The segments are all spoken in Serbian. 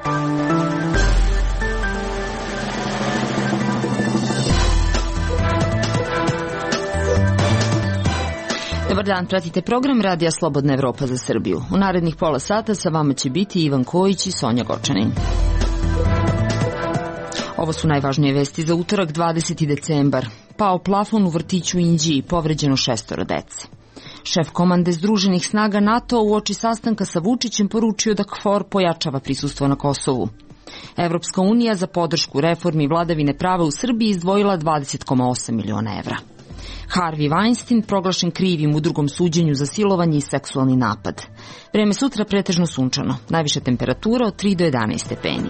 Dobar dan, pratite program Radija Slobodna Evropa za Srbiju. U narednih pola sata sa vama će biti Ivan Kojić i Sonja Gočanin. Ovo su najvažnije vesti za utorak 20. decembar. Pao plafon u vrtiću u Inđiji, povređeno 6 dece. Šef komande Združenih snaga NATO uoči sastanka sa Vučićem poručio da KFOR pojačava prisustvo na Kosovu. Evropska unija za podršku reformi vladavine prava u Srbiji izdvojila 20,8 miliona evra. Harvey Weinstein proglašen krivim u drugom suđenju za silovanje i seksualni napad. Vreme sutra pretežno sunčano, najviša temperatura od 3 do 11 stepeni.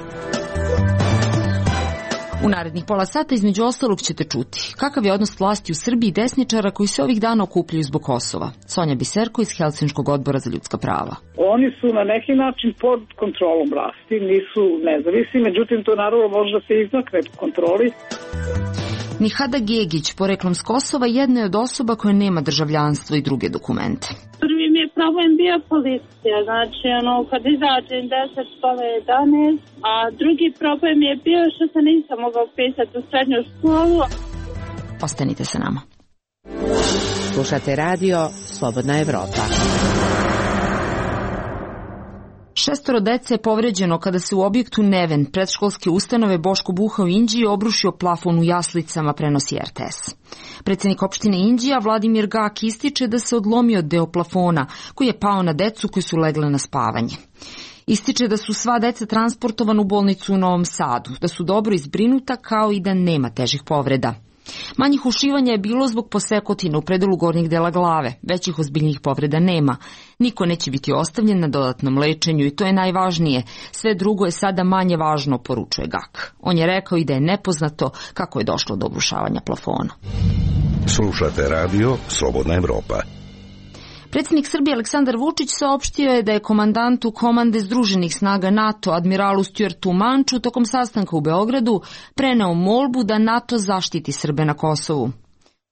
U narednih pola sata između ostalog ćete čuti kakav je odnos vlasti u Srbiji i desničara koji se ovih dana okupljaju zbog Kosova. Sonja Biserko iz Helsinškog odbora za ljudska prava. Oni su na neki način pod kontrolom vlasti, nisu nezavisni, međutim to naravno može da se izmakne kontroli. Nihada Gegić, poreklom s Kosova, jedna je od osoba koja nema državljanstvo i druge dokumente. Prvi mi je problem bio policija, znači kad izađem 10 pola 11, a drugi problem je bio što se nisam mogao upisati u srednju školu. Ostanite sa nama. Slušate radio Slobodna Evropa. 6 dece je povređeno kada se u objektu Neven predškolske ustanove Boško Buha u Inđiji obrušio plafon u jaslicama, prenosi RTS. Predsjednik opštine Inđija Vladimir Gak ističe da se odlomio deo plafona koji je pao na decu koji su legle na spavanje. Ističe da su sva deca transportovana u bolnicu u Novom Sadu, da su dobro izbrinuta kao i da nema težih povreda. Manjih ušivanja je bilo zbog posekotina u predelu gornjeg dela glave, većih ozbiljnih povreda nema. Niko neće biti ostavljen na dodatnom lečenju i to je najvažnije. Sve drugo je sada manje važno, poručuje Gak. On je rekao i da je nepoznato kako je došlo do obrušavanja plafona. Slušate radio Slobodna Evropa. Predsjednik Srbije Aleksandar Vučić saopštio je da je komandantu komande Združenih snaga NATO admiralu Stuartu Manču tokom sastanka u Beogradu preneo molbu da NATO zaštiti Srbe na Kosovu.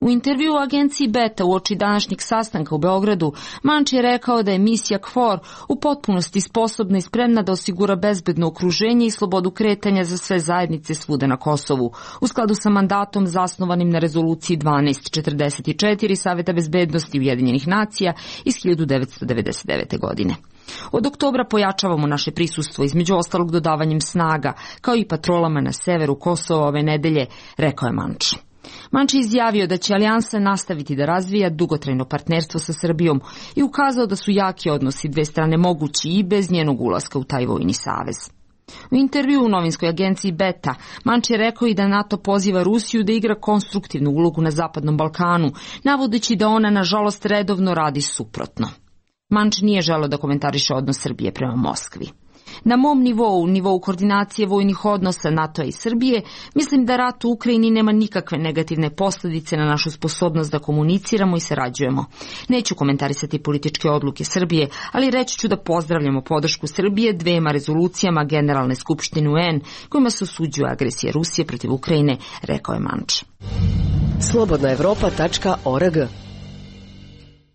U intervju u agenciji Beta uoči današnjeg sastanka u Beogradu, Manč je rekao da je misija KFOR u potpunosti sposobna i spremna da osigura bezbedno okruženje i slobodu kretanja za sve zajednice svuda na Kosovu, u skladu sa mandatom zasnovanim na rezoluciji 1244 Saveta bezbednosti Ujedinjenih nacija iz 1999. godine. Od oktobra pojačavamo naše prisustvo, između ostalog dodavanjem snaga, kao i patrolama na severu Kosova ove nedelje, rekao je Manč. Manč je izjavio da će alijansa nastaviti da razvija dugotrajno partnerstvo sa Srbijom i ukazao da su jaki odnosi dve strane mogući i bez njenog ulaska u taj vojni savez. U intervju u novinskoj agenciji Beta, Manč je rekao i da NATO poziva Rusiju da igra konstruktivnu ulogu na Zapadnom Balkanu, navodeći da ona nažalost redovno radi suprotno. Manč nije želeo da komentariše odnos Srbije prema Moskvi. Na mom nivou koordinacije vojnih odnosa NATO i Srbije, mislim da rat u Ukrajini nema nikakve negativne posljedice na našu sposobnost da komuniciramo i sarađujemo. Neću komentarisati političke odluke Srbije, ali reći ću da pozdravljamo podršku Srbije dvema rezolucijama Generalne skupštine UN kojima se osuđuje agresija Rusije protiv Ukrajine, rekao je Manč. slobodnaevropa.org.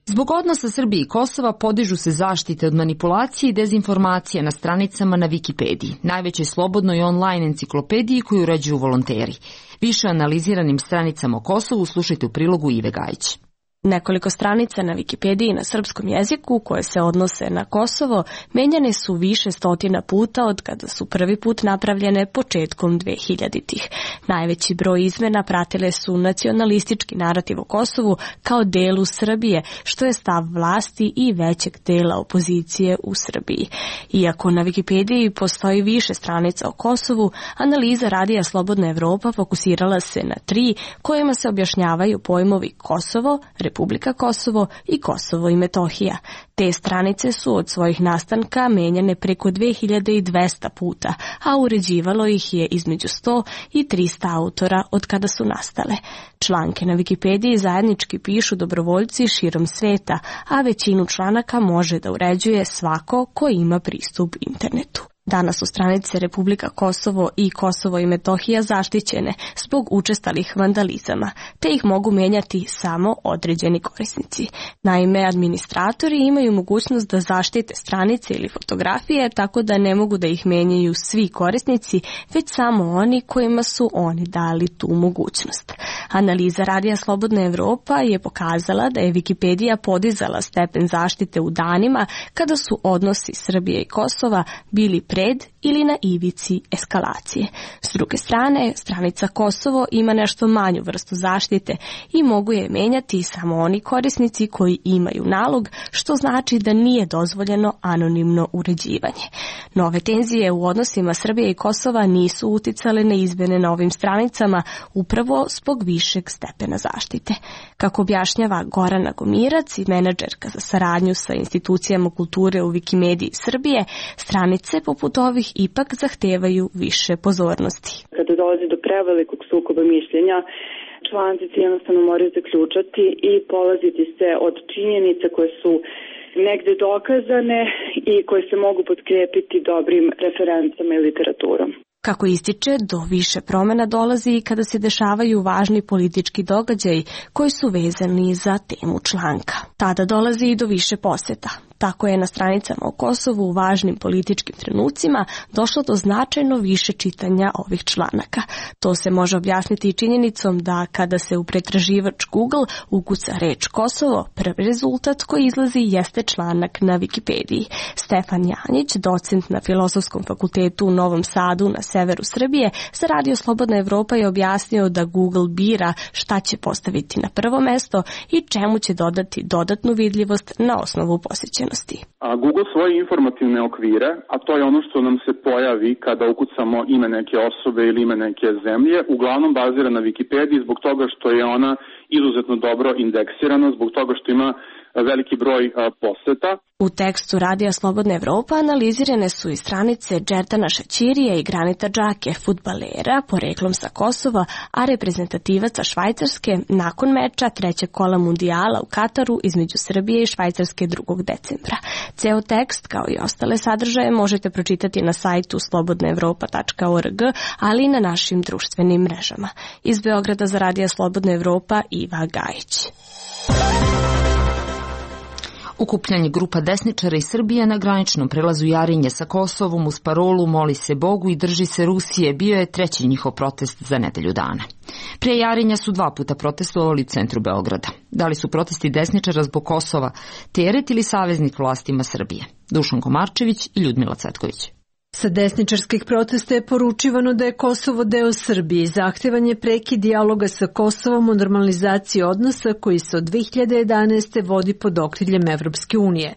Zbog odnosa Srbije i Kosova podižu se zaštite od manipulacije i dezinformacije na stranicama na Wikipediji, najvećoj slobodnoj online enciklopediji koju uređuju volonteri. Više o analiziranim stranicama o Kosovu slušajte u prilogu Ive Gajić. Nekoliko stranica na Wikipediji na srpskom jeziku koje se odnose na Kosovo menjane su više stotina puta od kada su prvi put napravljene početkom 2000-ih. Najveći broj izmena pratile su nacionalistički narativ o Kosovu kao delu Srbije, što je stav vlasti i većeg dela opozicije u Srbiji. Iako na Wikipediji postoji više stranica o Kosovu, analiza Radija Slobodna Evropa fokusirala se na 3 kojima se objašnjavaju pojmovi Kosovo, Republika Kosovo i Kosovo i Metohija. Te stranice su od svojih nastanka menjane preko 2200 puta, a uređivalo ih je između 100 i 300 autora od kada su nastale. Članke na Wikipediji zajednički pišu dobrovoljci širom sveta, a većinu članaka može da uređuje svako ko ima pristup internetu. Danas su stranice Republika Kosovo i Kosovo i Metohija zaštićene zbog učestalih vandalizama, te ih mogu menjati samo određeni korisnici. Naime, administratori imaju mogućnost da zaštite stranice ili fotografije tako da ne mogu da ih menjaju svi korisnici, već samo oni kojima su oni dali tu mogućnost. Analiza Radija Slobodna Evropa je pokazala da je Wikipedija podizala stepen zaštite u danima kada su odnosi Srbije i Kosova bili pred ili na ivici eskalacije. S druge strane, stranica Kosovo ima nešto manju vrstu zaštite i mogu je menjati samo oni korisnici koji imaju nalog, što znači da nije dozvoljeno anonimno uređivanje. Nove tenzije u odnosima Srbije i Kosova nisu uticale na izmene na ovim stranicama upravo zbog višeg stepena zaštite. Kako objašnjava Gorana Gomirac i menadžerka za saradnju sa institucijama kulture u Wikimediji Srbije, stranice poput ovih ipak zahtevaju više pozornosti. Kada dolazi do prevelikog sukoba mišljenja, članci jednostavno moraju zaključati i polaziti se od činjenica koje su negde dokazane i koje se mogu potkrijepiti dobrim referencama i literaturom. Kako ističe, do više promjena dolazi i kada se dešavaju važni politički događaji koji su vezani za temu članka. Tada dolazi i do više posjeta. Tako je na stranicama o Kosovu u važnim političkim trenucima došlo do značajno više čitanja ovih članaka. To se može objasniti i činjenicom da kada se u pretraživač Google ukuca reč Kosovo, prvi rezultat koji izlazi jeste članak na Wikipediji. Stefan Janjić, docent na Filozofskom fakultetu u Novom Sadu na severu Srbije, za Radio Slobodna Evropa je objasnio da Google bira šta će postaviti na prvo mesto i čemu će dodati dodatnu vidljivost na osnovu posjećenosti. Google svoje informativne okvire, a to je ono što nam se pojavi kada ukucamo ime neke osobe ili ime neke zemlje, uglavnom bazira na Wikipediji zbog toga što je ona izuzetno dobro indeksirana, zbog toga što ima veliki broj poseta. U tekstu Radija Slobodna Evropa analizirane su i stranice Džertana Šaćirija i Granita Džake, fudbalera, poreklom sa Kosova, a reprezentativaca Švajcarske nakon meča trećeg kola mundijala u Kataru između Srbije i Švajcarske 2. decembra. Ceo tekst, kao i ostale sadržaje, možete pročitati na sajtu slobodnaevropa.org, ali i na našim društvenim mrežama. Iz Beograda za Radija Slobodna Evropa, Iva Gajić. Okupljanje grupa desničara iz Srbije na graničnom prelazu Jarinje sa Kosovom uz parolu "Moli se Bogu i drži se Rusije" bio je treći njihov protest za nedelju dana. Prije Jarinja su 2 puta protestovali u centru Beograda. Da li su protesti desničara zbog Kosova teret ili saveznik vlastima Srbije? Dušan Komarčević i Ljudmila Cvetković. Sa desničarskih protesta je poručivano da je Kosovo deo Srbije i zahtevan je prekid dijaloga sa Kosovom o normalizaciji odnosa koji se od 2011. vodi pod okriljem Evropske unije.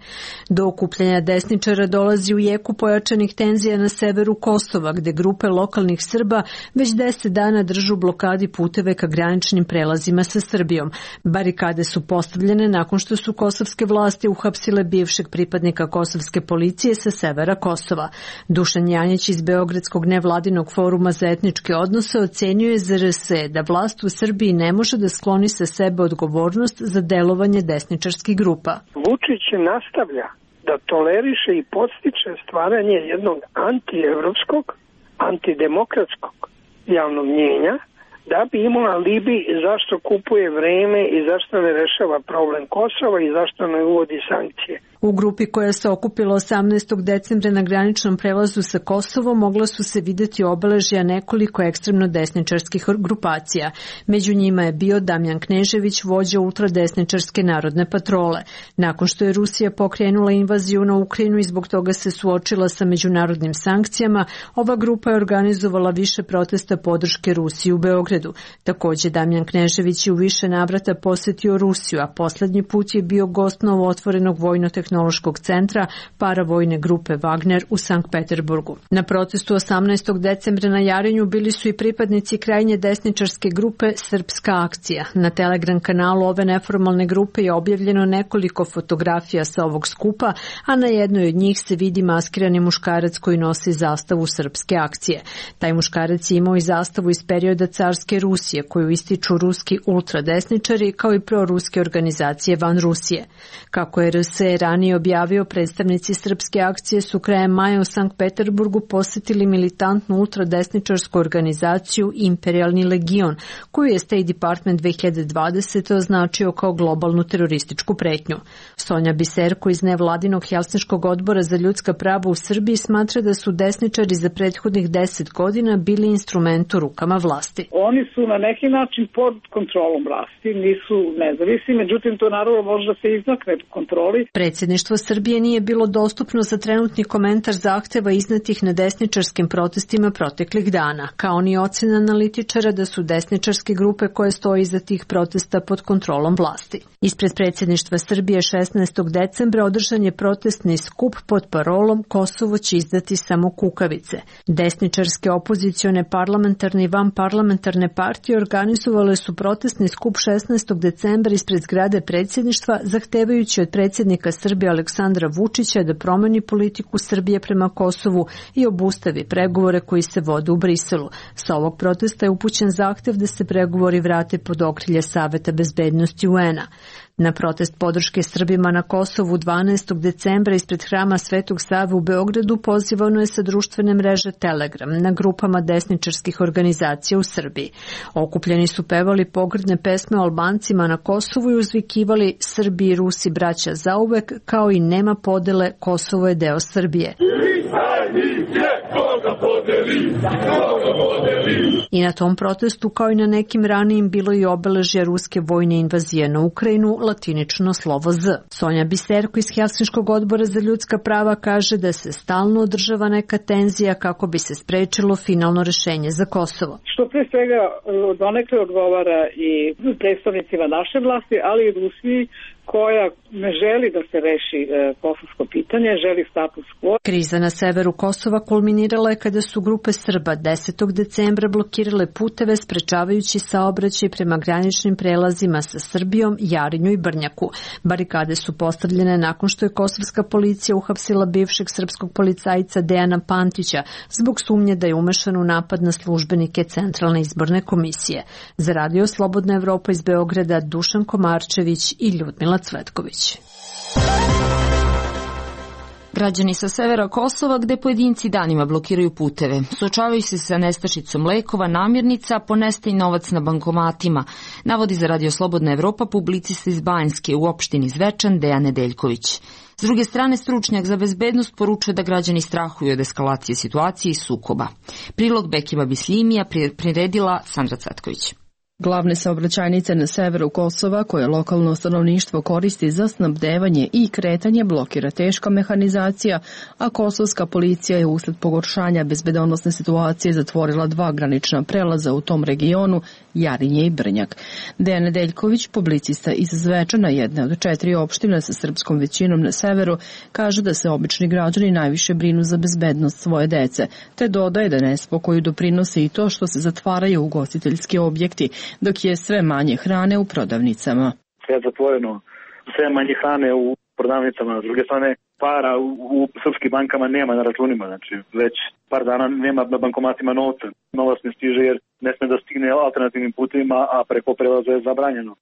Do okupljanja desničara dolazi u jeku pojačanih tenzija na severu Kosova, gde grupe lokalnih Srba već 10 dana držu blokadi puteve ka graničnim prelazima sa Srbijom. Barikade su postavljene nakon što su kosovske vlasti uhapsile bivšeg pripadnika kosovske policije sa severa Kosova. Dušan Janjić iz Beogradskog nevladinog foruma za etničke odnose ocenio je ZRS da vlast u Srbiji ne može da skloni sa sebe odgovornost za delovanje desničarskih grupa. Vučić nastavlja da toleriše i podstiče stvaranje jednog antievropskog, antidemokratskog javnog mnjenja da bi imao alibi zašto kupuje vreme i zašto ne rešava problem Kosova i zašto ne uvodi sankcije. U grupi koja se okupila 18. decembra na graničnom prelazu sa Kosovom mogla su se videti obeležja nekoliko ekstremno desničarskih grupacija. Među njima je bio Damjan Knežević, vođa ultradesničarske narodne patrole. Nakon što je Rusija pokrenula invaziju na Ukrajinu i zbog toga se suočila sa međunarodnim sankcijama, ova grupa je organizovala više protesta podrške Rusiji u Beogradu. Takođe, Damjan Knežević je u više navrata posetio Rusiju, a poslednji put je bio gost novootvorenog vojno-tehnološkog centra paravojne grupe Wagner u Sankt Peterburgu. Na protestu 18. decembra na Jarinju bili su i pripadnici krajnje desničarske grupe Srpska akcija. Na Telegram kanalu ove neformalne grupe je objavljeno nekoliko fotografija sa ovog skupa, a na jednoj od njih se vidi maskirani muškarac koji nosi zastavu Srpske akcije. Taj muškarac je imao i zastavu iz perioda carske Rusije, koju ističu ruski ultradesničari kao i proruske organizacije van Rusije. Kako je RS ranije ranije objavio, predstavnici Srpske akcije su krajem maja u Sankt Peterburgu posetili militantnu ultradesničarsku organizaciju Imperialni legion, koju je State Department 2020. označio kao globalnu terorističku pretnju. Sonja Biserko iz nevladinog Helsinškog odbora za ljudska prava u Srbiji smatra da su desničari za prethodnih 10 godina bili instrument u rukama vlasti. Oni su na neki način pod kontrolom vlasti, nisu nezavisni, međutim to naravno može da se izmakne kontroli. Predsjedništvo Srbije nije bilo dostupno za trenutni komentar zahteva iznetih na desničarskim protestima proteklih dana, kao ni ocena analitičara da su desničarske grupe koje stoji iza tih protesta pod kontrolom vlasti. Ispred predsjedništva Srbije 16. decembra održan je protestni skup pod parolom Kosovo će izdati samo kukavice. Desničarske opozicione parlamentarne i vanparlamentarne partije organizovale su protestni skup 16. decembra ispred zgrade predsjedništva, zahtevajući od predsjednika Srbije Aleksandra Vučića da promeni politiku Srbije prema Kosovu i obustavi pregovore koji se vode u Briselu. Sa ovog protesta je upućen zahtev da se pregovori vrate pod okrilje Saveta bezbednosti UN-a. Na protest podrške Srbima na Kosovu 12. decembra ispred hrama Svetog Save u Beogradu pozivano je sa društvene mreže Telegram na grupama desničarskih organizacija u Srbiji. Okupljeni su pevali pogrdne pesme o Albancima na Kosovu i uzvikivali Srbi i Rusi braća zauvek, kao i nema podele, Kosovo je deo Srbije. I na tom protestu, kao i na nekim ranijim, bilo i obeležja ruske vojne invazije na Ukrajinu, latinično slovo Z. Sonja Biserko iz Helsinškog odbora za ljudska prava kaže da se stalno održava neka tenzija kako bi se sprečilo finalno rešenje za Kosovo. Što pre svega donekle odgovara i predstavnicima naše vlasti, ali i Rusiji, koja ne želi da se reši kosovsko pitanje, želi status quo. Kriza na severu Kosova kulminirala je kada su grupe Srba 10. decembra blokirale puteve, sprečavajući saobraćaj prema graničnim prelazima sa Srbijom, Jarinju i Brnjaku. Barikade su postavljene nakon što je kosovska policija uhapsila bivšeg srpskog policajca Dejana Pantića zbog sumnje da je umešan u napad na službenike Centralne izborne komisije. Za Radio Slobodna Evropa iz Beograda Dušan Komarčević i Ljudmila Cvetković. Građani sa severa Kosova, gde pojedinci danima blokiraju puteve, suočavaju se sa nestašicom lekova, namirnica, ponestaje novac na bankomatima, navodi za Radio Slobodna Evropa publicista iz Banjske u opštini Zvečan Dejan Nedeljković. S druge strane, stručnjak za bezbednost poručuje da građani strahuju od eskalacije situacije i sukoba. Prilog Bekima Bislimija priredila Sandra Cvetković. Glavne saobraćajnice na severu Kosova, koje lokalno stanovništvo koristi za snabdevanje i kretanje, blokira teška mehanizacija, a kosovska policija je usled pogoršanja bezbedonosne situacije zatvorila 2 granična prelaza u tom regionu, Jarinje i Brnjak. Dejan Nedeljković, publicista iz Zvečana, jedne od 4 opštine sa srpskom većinom na severu, kaže da se obični građani najviše brinu za bezbednost svoje dece, te dodaje da nespokoju doprinose i to što se zatvaraju ugostiteljski objekti, dok je sve manje hrane u prodavnicama. Sve je zatvoreno, sve manje hrane u prodavnicama, s druge strane para u srpskim bankama nema na računima, znači već par dana nema na bankomatima novca. Novac ne stiže jer ne sme da stigne alternativnim putevima, a preko prelaza je zabranjeno.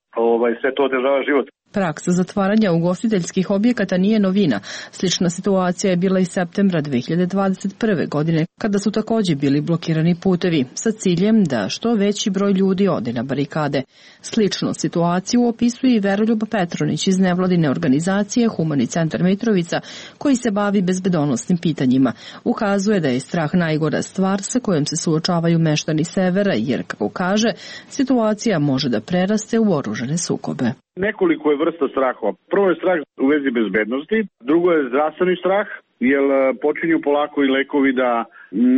Sve to održava život. Praksa zatvaranja ugostiteljskih objekata nije novina. Slična situacija je bila i septembra 2021. godine, kada su takođe bili blokirani putevi, sa ciljem da što veći broj ljudi ode na barikade. Sličnu situaciju opisuje i Veroljub Petronić iz nevladine organizacije Humani centar Mitrovica, koji se bavi bezbedonosnim pitanjima. Ukazuje da je strah najgora stvar sa kojom se suočavaju meštani severa, jer, kako kaže, situacija može da preraste u oružane sukobe. Nekoliko je vrsta strahova. Prvo je strah u vezi bezbednosti, drugo je zdravstveni strah, jer počinju polako i lekovi da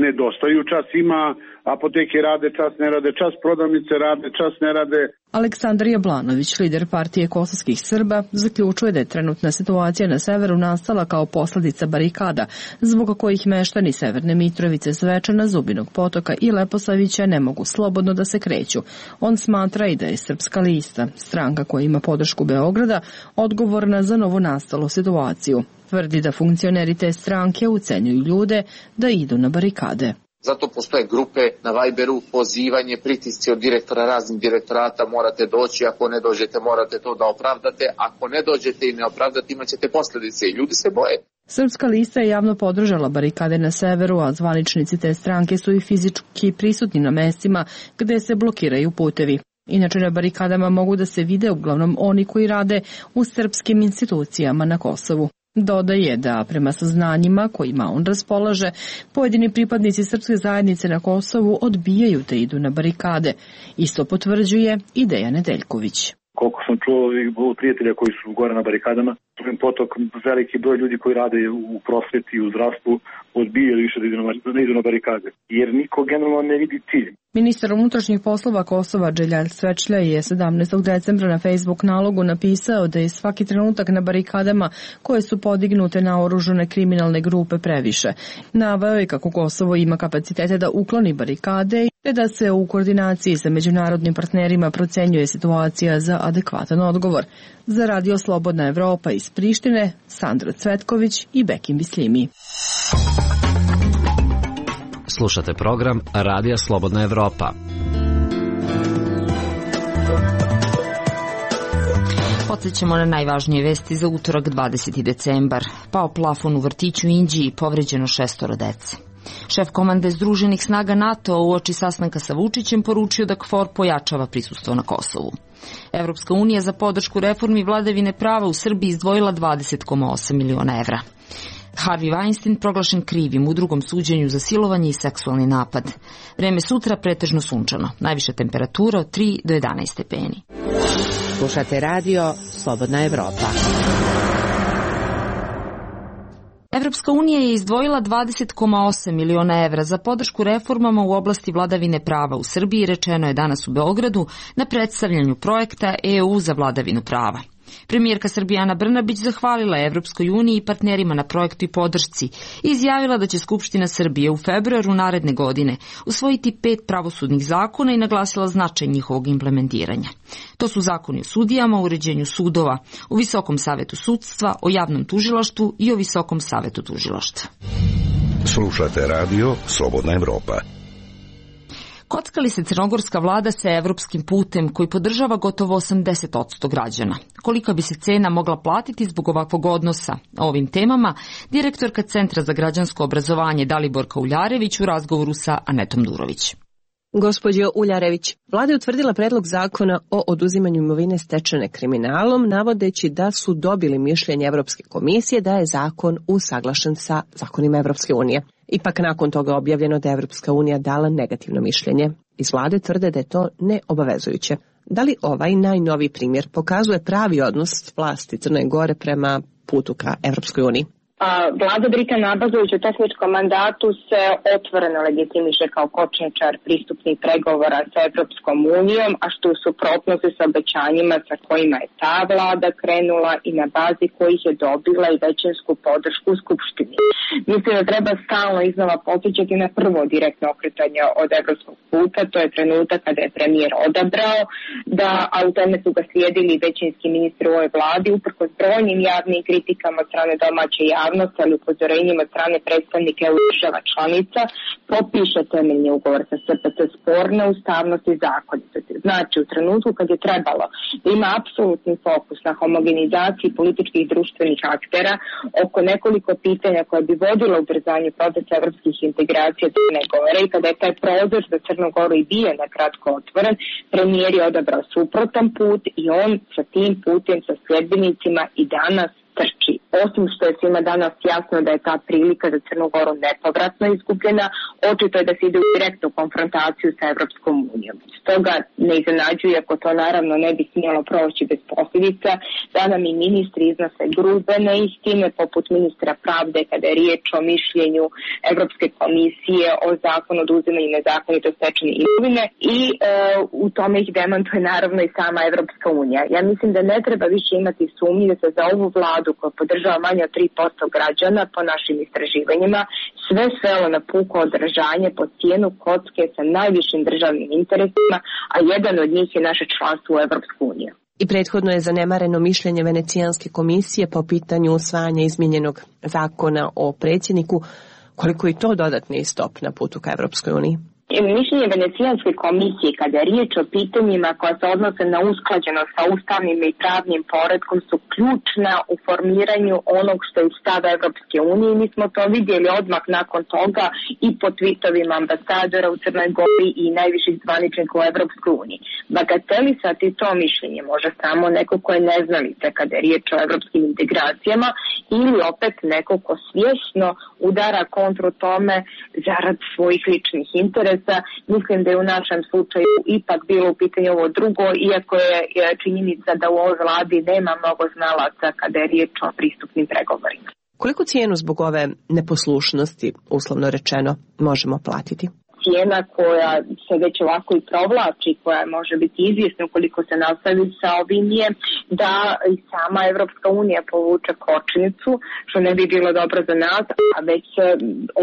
nedostaju. Čas ima, apoteke rade, čas ne rade, čas prodavnice rade, čas ne rade. Aleksandar Jablanović, lider partije kosovskih Srba, zaključuje da je trenutna situacija na severu nastala kao posledica barikada, zbog kojih meštani Severne Mitrovice, Zvečana, Zubinog Potoka i Leposavića ne mogu slobodno da se kreću. On smatra i da je Srpska lista, stranka koja ima podršku Beograda, odgovorna za novonastalu situaciju. Tvrdi da funkcioneri te stranke ucenjuju ljude da idu na barikade. Zato postoje grupe na Viberu, pozivanje, pritisci od direktora raznih direktorata, morate doći, ako ne dođete morate to da opravdate, ako ne dođete i ne opravdate imat ćete posljedice i ljudi se boje. Srpska lista je javno podržala barikade na severu, a zvaničnici te stranke su i fizički prisutni na mestima gde se blokiraju putevi. Inače na barikadama mogu da se vide uglavnom oni koji rade u srpskim institucijama na Kosovu. Dodaje da prema saznanjima kojima on raspolaže, pojedini pripadnici srpske zajednice na Kosovu odbijaju da idu na barikade. Isto potvrđuje i Dejan Nedeljković. Koliko sam čuo od prijatelja koji su gore na barikadama, potok veliki broj ljudi koji rade u prosveti i u zdravstvu odbijaju više da idu na barikade, jer niko generalno ne vidi cilj. Ministar unutrašnjih poslova Kosova Dželjalj Svečlja je 17. decembra na Facebook nalogu napisao da je svaki trenutak na barikadama koje su podignute na oružane kriminalne grupe previše. Naveo je kako Kosovo ima kapacitete da ukloni barikade te da se u koordinaciji sa međunarodnim partnerima procenjuje situacija za adekvatan odgovor. Za Radio Slobodna Evropa iz Prištine, Sandra Cvetković i Bekim Bislimi. Slušate program Radija Slobodna Evropa. Podsjećamo na najvažnije vesti za utorak 20. decembar. Pao plafon u vrtiću u Indiji, povređeno 6 dece. Šef komande Združenih snaga NATO uoči sastanka sa Vučićem poručio da KFOR pojačava prisustvo na Kosovu. Evropska unija za podršku reformi vladavine prava u Srbiji izdvojila 20,8 miliona evra. Harvey Weinstein proglašen krivim u drugom suđenju za silovanje i seksualni napad. Vreme sutra pretežno sunčano. Najviša temperatura od 3 do 11 stepeni. Slušate radio Slobodna Evropa. Evropska unija je izdvojila 20,8 miliona evra za podršku reformama u oblasti vladavine prava u Srbiji, rečeno je danas u Beogradu na predstavljanju projekta EU za vladavinu prava. Premijerka Srbije Ana Brnabić zahvalila je Evropskoj uniji i partnerima na projektu i podršci i izjavila da će Skupština Srbije u februaru naredne godine usvojiti 5 pravosudnih zakona i naglasila značaj njihovog implementiranja. To su zakoni o sudijama, o uređenju sudova, o Visokom savetu sudstva, o javnom tužilaštvu i o Visokom savetu tužilaštva. Slušate radio Slobodna Evropa. Kocka li se crnogorska vlada sa evropskim putem koji podržava gotovo 80% građana? Kolika bi se cena mogla platiti zbog ovakvog odnosa? O ovim temama direktorka Centra za građansko obrazovanje Daliborka Uljarević u razgovoru sa Anetom Durović. Gospođo Uljarević, vlada je utvrdila predlog zakona o oduzimanju imovine stečene kriminalom, navodeći da su dobili mišljenje Evropske komisije da je zakon usaglašen sa zakonima Evropske unije. Ipak nakon toga objavljeno da je Evropska unija dala negativno mišljenje. Iz vlade tvrde da je to neobavezujuće. Da li ovaj najnoviji primjer pokazuje pravi odnos vlasti Crne Gore prema putu ka Evropskoj uniji? Vlada Drita Nabazović u tehničkom mandatu se otvoreno legitimiše kao kočničar pristupnih pregovora sa Evropskom unijom, a što u suprotnosti sa obećanjima sa kojima je ta vlada krenula i na bazi kojih je dobila i većinsku podršku u Skupštini. Mislim da treba stalno iznova podsjećati na prvo direktno okretanje od evropskog puta, to je trenutak kada je premijer odabrao, a u tome su ga slijedili većinski ministri u ovoj vladi, uprkos brojnim javnim kritikama od strane domaće javnosti, ali upozorenjima strane predstavnika EU država članica, potpiše temeljni ugovor sa SPC sporne ustavnosti i zakonitosti. Znači, u trenutku kad je trebalo da ima apsolutni fokus na homogenizaciji političkih i društvenih aktera oko nekoliko pitanja koje bi vodilo ubrzanju procesa evropskih integracija Crne Gore i kada je taj prozor za Crnu Goru i bio nakratko otvoren, premijer je odabrao suprotan put i on sa tim putem, sa sljedbenicima i danas trči. Osim što je svima danas jasno da je ta prilika za Crnu Goru nepovratno izgubljena, očito je da se ide u direktnu konfrontaciju sa Evropskom unijom. Stoga ne iznenađuje, ako to naravno ne bi smjelo proći bez posljedica, da nam i ministri iznose grube neistine, poput ministra pravde kada je riječ o mišljenju Evropske komisije o zakonu o oduzimanju nezakonito stečene imovine i u tome ih demantuje naravno i sama Evropska unija. Ja mislim da ne treba više imati sumnje da se za ovu vladu koja podržava manje od 3% građana po našim istraživanjima, sve svelo na puko održanje po cijenu kocke sa najvišim državnim interesima, a jedan od njih je naše članstvo u Evropsku uniju. I prethodno je zanemareno mišljenje Venecijanske komisije po pitanju usvajanja izmijenjenog zakona o predsjedniku, Koliko je to dodatni stop na putu ka Evropskoj uniji? Mišljenje Venecijanske komisije kada je riječ o pitanjima koja se odnose na usklađenost sa ustavnim i pravnim poretkom su ključna u formiranju onog što je stav Evropske unije. Mi smo to vidjeli odmah nakon toga i po tweetovima ambasadora u Crnoj Gori i najviših zvaničnika u Evropskoj uniji. Bagatelisati to mišljenje može samo neko ko je neznalica kada je riječ o evropskim integracijama ili opet neko ko svjesno udara kontru tome zarad svojih ličnih interesa. Mislim da je u našem slučaju ipak bilo u pitanju ovo drugo, iako je činjenica da u ovoj vladi nema mnogo znalaca kada je riječ o pristupnim pregovorima. Koliko cijenu zbog ove neposlušnosti, uslovno rečeno, možemo platiti? Cijena koja se već ovako i provlači, koja može biti izvjesna ukoliko se nastavi sa ovim je da i sama Evropska unija povuče kočnicu, što ne bi bilo dobro za nas, a već se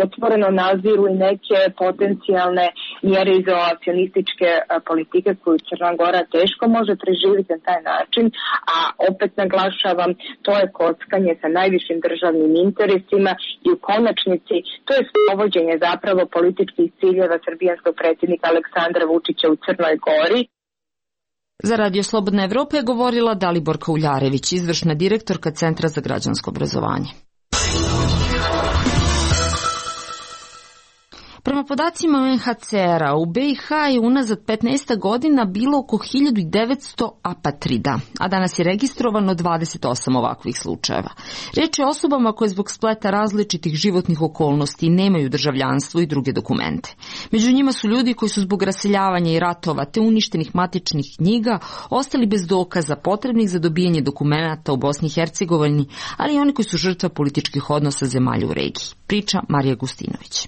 otvoreno naziru i neke potencijalne mjere izolacionističke politike koju Crna Gora teško može preživjeti na taj način, a opet naglašavam, to je kockanje sa najvišim državnim interesima i u konačnici to je sprovođenje zapravo političkih ciljeva srbijanskog predsjednika Aleksandra Vučića u Crnoj Gori. Za Radio Slobodna Evropa je govorila Daliborka Uljarević, izvršna direktorka Centra za građansko obrazovanje. Prema podacima UNHCR-a, u BiH je unazad 15 godina bilo oko 1900 apatrida, a danas je registrovano 28 ovakvih slučajeva. Riječ je o osobama koje zbog spleta različitih životnih okolnosti nemaju državljanstvo i druge dokumente. Među njima su ljudi koji su zbog raseljavanja i ratova te uništenih matičnih knjiga ostali bez dokaza potrebnih za dobijanje dokumenata u Bosni i Hercegovini, ali i oni koji su žrtva političkih odnosa zemalja u regiji. Priča Marija Gustinović.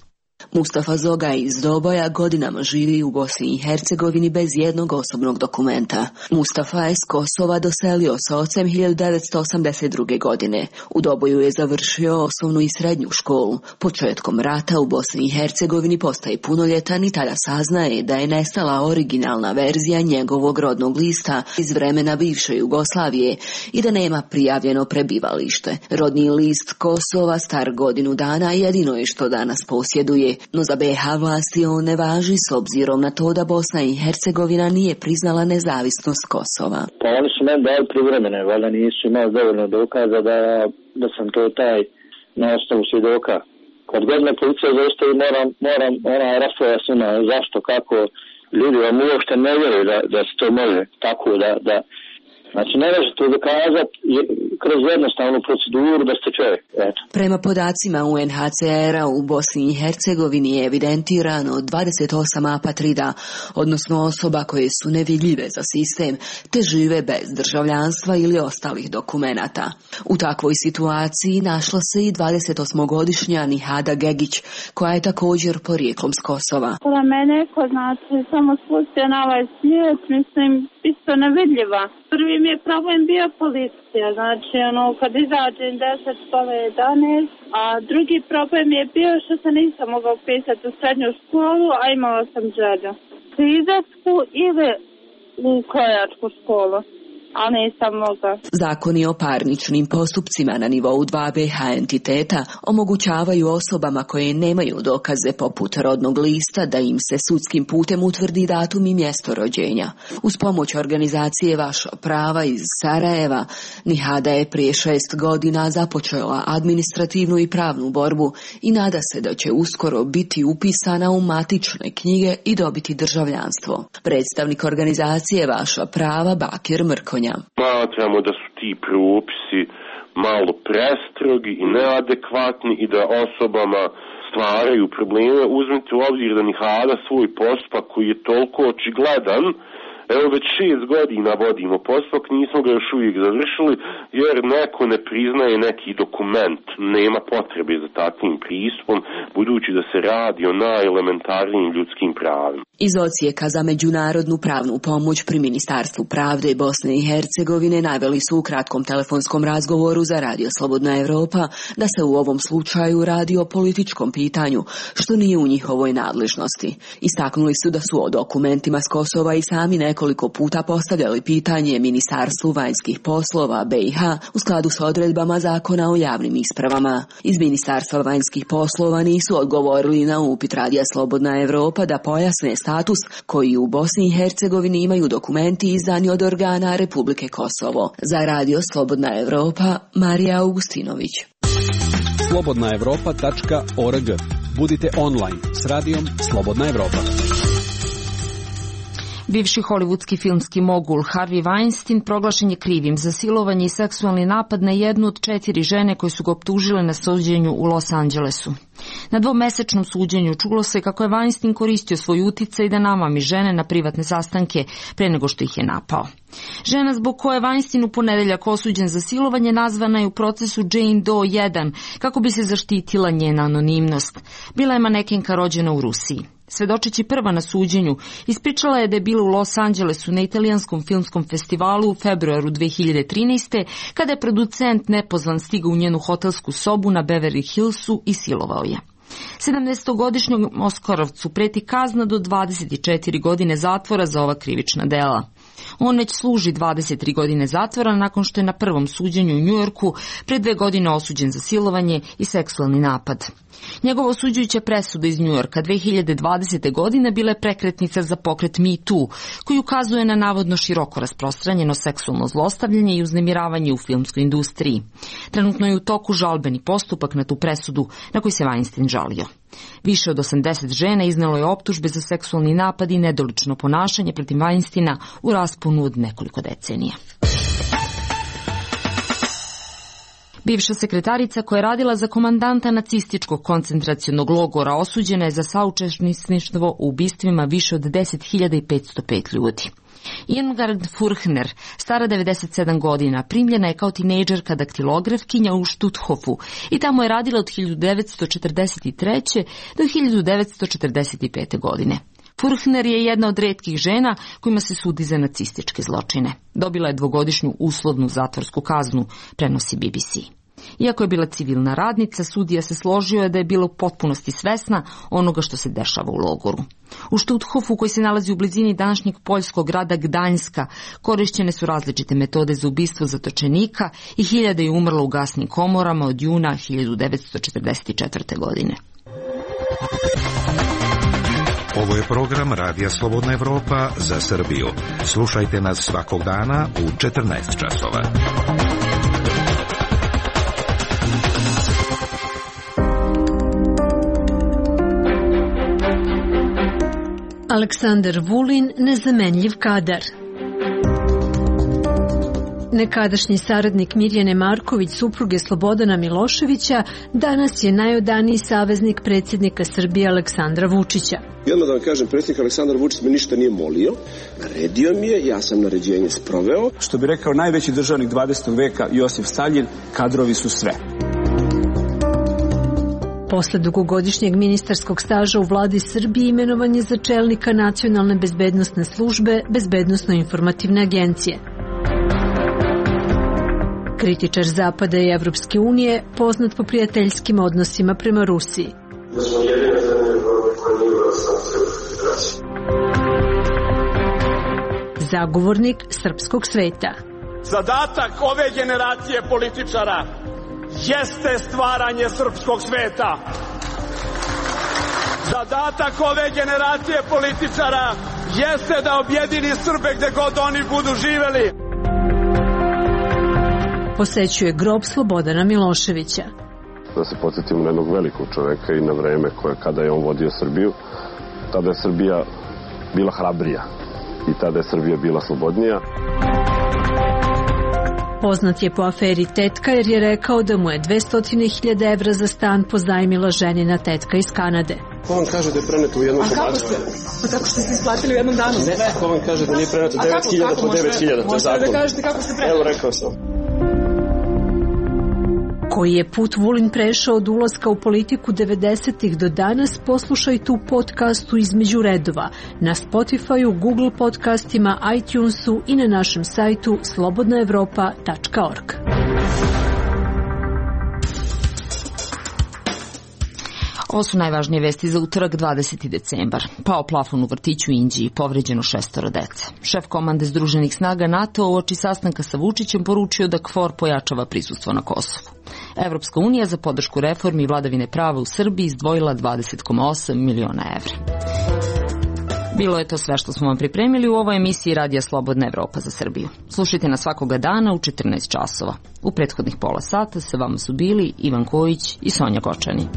Mustafa Zogaj iz Doboja godinama živi u Bosni i Hercegovini bez jednog osobnog dokumenta. Mustafa je s Kosova doselio sa ocem 1982. godine. U Doboju je završio osnovnu i srednju školu. Početkom rata u Bosni i Hercegovini postaje punoljetan i tada saznaje da je nestala originalna verzija njegovog rodnog lista iz vremena bivše Jugoslavije i da nema prijavljeno prebivalište. Rodni list Kosova, star godinu dana, jedino je što danas posjeduje. No za BiH vlasti on ne važi s obzirom na to da Bosna i Hercegovina nije priznala nezavisnost Kosova. Pa oni su meni dali privremene, valjda nisu imali dovoljno dokaza da sam to taj na osnovu svjedoka. Kad god me policija zaustavi, moram raspravljati s njima zašto, kako. Ljudi vam uopšte ne vjeruju da se to može tako da znači ne možete dokazati kroz jednostavnu proceduru da ste čovjek. Eto. Prema podacima UNHCR-a u Bosni i Hercegovini je evidentirano 28 apatrida, odnosno osoba koje su nevidljive za sistem te žive bez državljanstva ili ostalih dokumenata. U takvoj situaciji našla se i 28-godišnja Nihada Gegić, koja je također porijeklom s Kosova. Za mene ko znači samo spustio na ovaj svijet, mislim, isto nevidljiva. Prvi mi je problem bio policija, znači kad izađem 10 pola 11, a drugi problem je bio što se nisam mogla upisati u srednju školu, a imala sam želju. Krizačku ili u krojačku školu. A nisam mogla. Zakoni o parničnim postupcima na nivou 2 BiH entiteta omogućavaju osobama koje nemaju dokaze poput rodnog lista da im se sudskim putem utvrdi datum i mjesto rođenja. Uz pomoć organizacije Vaša prava iz Sarajeva, Nihada je prije 6 godina započela administrativnu i pravnu borbu i nada se da će uskoro biti upisana u matične knjige i dobiti državljanstvo. Predstavnik organizacije Vaša prava Bakir Mrkonja. Smatramo da su ti propisi malo prestrogi i neadekvatni i da osobama stvaraju probleme. Uzmite u obzir da Nihada svoj postupak koji je toliko očigledan, evo već 6 godina vodimo postupak, nismo ga još uvijek završili jer neko ne priznaje neki dokument. Nema potrebe za takvim pristupom, budući da se radi o najelementarnijim ljudskim pravima. Iz odsjeka za međunarodnu pravnu pomoć pri Ministarstvu pravde Bosne i Hercegovine naveli su u kratkom telefonskom razgovoru za Radio Slobodna Evropa da se u ovom slučaju radi o političkom pitanju, što nije u njihovoj nadležnosti. Istaknuli su da su o dokumentima s Kosova i sami nekoliko nekoliko puta postavljali pitanje Ministarstvu vanjskih poslova BiH u skladu sa odredbama Zakona o javnim ispravama. Iz Ministarstva vanjskih poslova nisu odgovorili na upit Radija Slobodna Evropa da pojasne status koji u Bosni i Hercegovini imaju dokumenti izdani od organa Republike Kosovo. Za Radio Slobodna Evropa, Marija Augustinović. slobodnaevropa.org. Budite online s radijom Slobodna Evropa. Bivši hollywoodski filmski mogul Harvey Weinstein proglašen je krivim za silovanje i seksualni napad na jednu od 4 žene koje su ga optužile na suđenju u Los Angelesu. Na dvomesečnom suđenju čulo se kako je Weinstein koristio svoj uticaj da namami žene na privatne sastanke pre nego što ih je napao. Žena zbog koje je Weinstein u ponedeljak osuđen za silovanje nazvana je u procesu Jane Doe 1 kako bi se zaštitila njena anonimnost. Bila je manekenka rođena u Rusiji. Svedočeći prva na suđenju, ispričala je da je bila u Los Angelesu na italijanskom filmskom festivalu u februaru 2013. kada je producent nepozvan stigao u njenu hotelsku sobu na Beverly Hillsu i silovao je. 17-godišnjom Oskarovcu preti kazna do 24 godine zatvora za ova krivična dela. On već služi 23 godine zatvora nakon što je na prvom suđenju u Njujorku pre 2 godine osuđen za silovanje i seksualni napad. Njegova osuđujuća presuda iz Njujorka 2020. godine bila je prekretnica za pokret Me Too, koji ukazuje na navodno široko rasprostranjeno seksualno zlostavljanje i uznemiravanje u filmskoj industriji. Trenutno je u toku žalbeni postupak na tu presudu na koji se Weinstein žalio. Više od 80 žena iznelo je optužbe za seksualni napad i nedolično ponašanje protiv Weinsteina u rasponu od nekoliko decenija. Bivša sekretarica koja je radila za komandanta nacističkog koncentracionog logora osuđena je za saučesništvo u ubistvima više od 10.505 ljudi. Irmgard Furchner, stara 97 godina, primljena je kao tinejdžerka daktilografkinja u Stutthofu i tamo je radila od 1943. do 1945. godine. Furchner je jedna od retkih žena kojima se sudi za nacističke zločine. Dobila je 2-godišnju uslovnu zatvorsku kaznu, prenosi BBC. Iako je bila civilna radnica, sudija se složio je da je bila u potpunosti svesna onoga što se dešava u logoru. U Stutthofu, koji se nalazi u blizini današnjeg poljskog grada Gdańska, korišćene su različite metode za ubistvo zatočenika i hiljade je umrlo u gasnim komorama od juna 1944. godine. Ovo je program Radija Slobodna Evropa za Srbiju. Slušajte nas svakog dana u 14 časova. Aleksandar Vulin, nezamenljiv kadar. Nekadašnji saradnik Mirjane Marković, supruge Slobodana Miloševića, danas je najodaniji saveznik predsjednika Srbije Aleksandra Vučića. I odmah da vam kažem, predsjednik Aleksandar Vučić me ništa nije molio, naredio mi je, ja sam naređenje sproveo. Što bi rekao najveći državnik 20. veka Josif Staljin, kadrovi su sve. Posle dugogodišnjeg ministarskog staža u vladi Srbije imenovan je za čelnika Nacionalne bezbednosne službe Bezbednosno-informativne agencije. Kritičar Zapada i Evropske unije, poznat po prijateljskim odnosima prema Rusiji. Da smo jedina zemlja koja nije uvela sankcije u federaciji. Zagovornik srpskog sveta. Zadatak ove generacije političara jeste stvaranje srpskog sveta. Zadatak ove generacije političara jeste da objedini Srbe gde god oni budu živeli. Posećuje grob Slobodana Miloševića. Da se podsjetimo na jednog velikog čoveka i na vreme kada je on vodio Srbiju, tada je Srbija bila hrabrija i tada je Srbija bila slobodnija. Poznat je po aferi Tetka jer je rekao da mu je 200.000 evra za stan pozajmila ženina tetka iz Kanade. Ko vam kaže da je preneto u jednom komadu? A kako ste? Pa tako što ste isplatili u jednom danu? Ne, ko vam kaže da nije preneto 9.000 po 9.000? Možete da kažete kako ste preneli? Evo, rekao sam. Koji je put Vulin prešao od ulaska u politiku 90-ih do danas, poslušajte u podcastu Između redova, na Spotify-u, Google podcastima, iTunesu i na našem sajtu slobodnaevropa.org. Ovo su najvažnije vesti za utorak 20. decembar. Pao plafon u vrtiću u Inđiji, povređeno 6 dece. Šef komande Združenih snaga NATO uoči sastanka sa Vučićem poručio da KFOR pojačava prisustvo na Kosovu. Evropska unija za podršku reformi i vladavine prava u Srbiji izdvojila 20,8 miliona evra. Bilo je to sve što smo vam pripremili u ovoj emisiji Radija Slobodna Evropa za Srbiju. Slušajte nas svakoga dana u 14 časova. U prethodnih pola sata sa vama su bili Ivan Kojić i Sonja Gočani.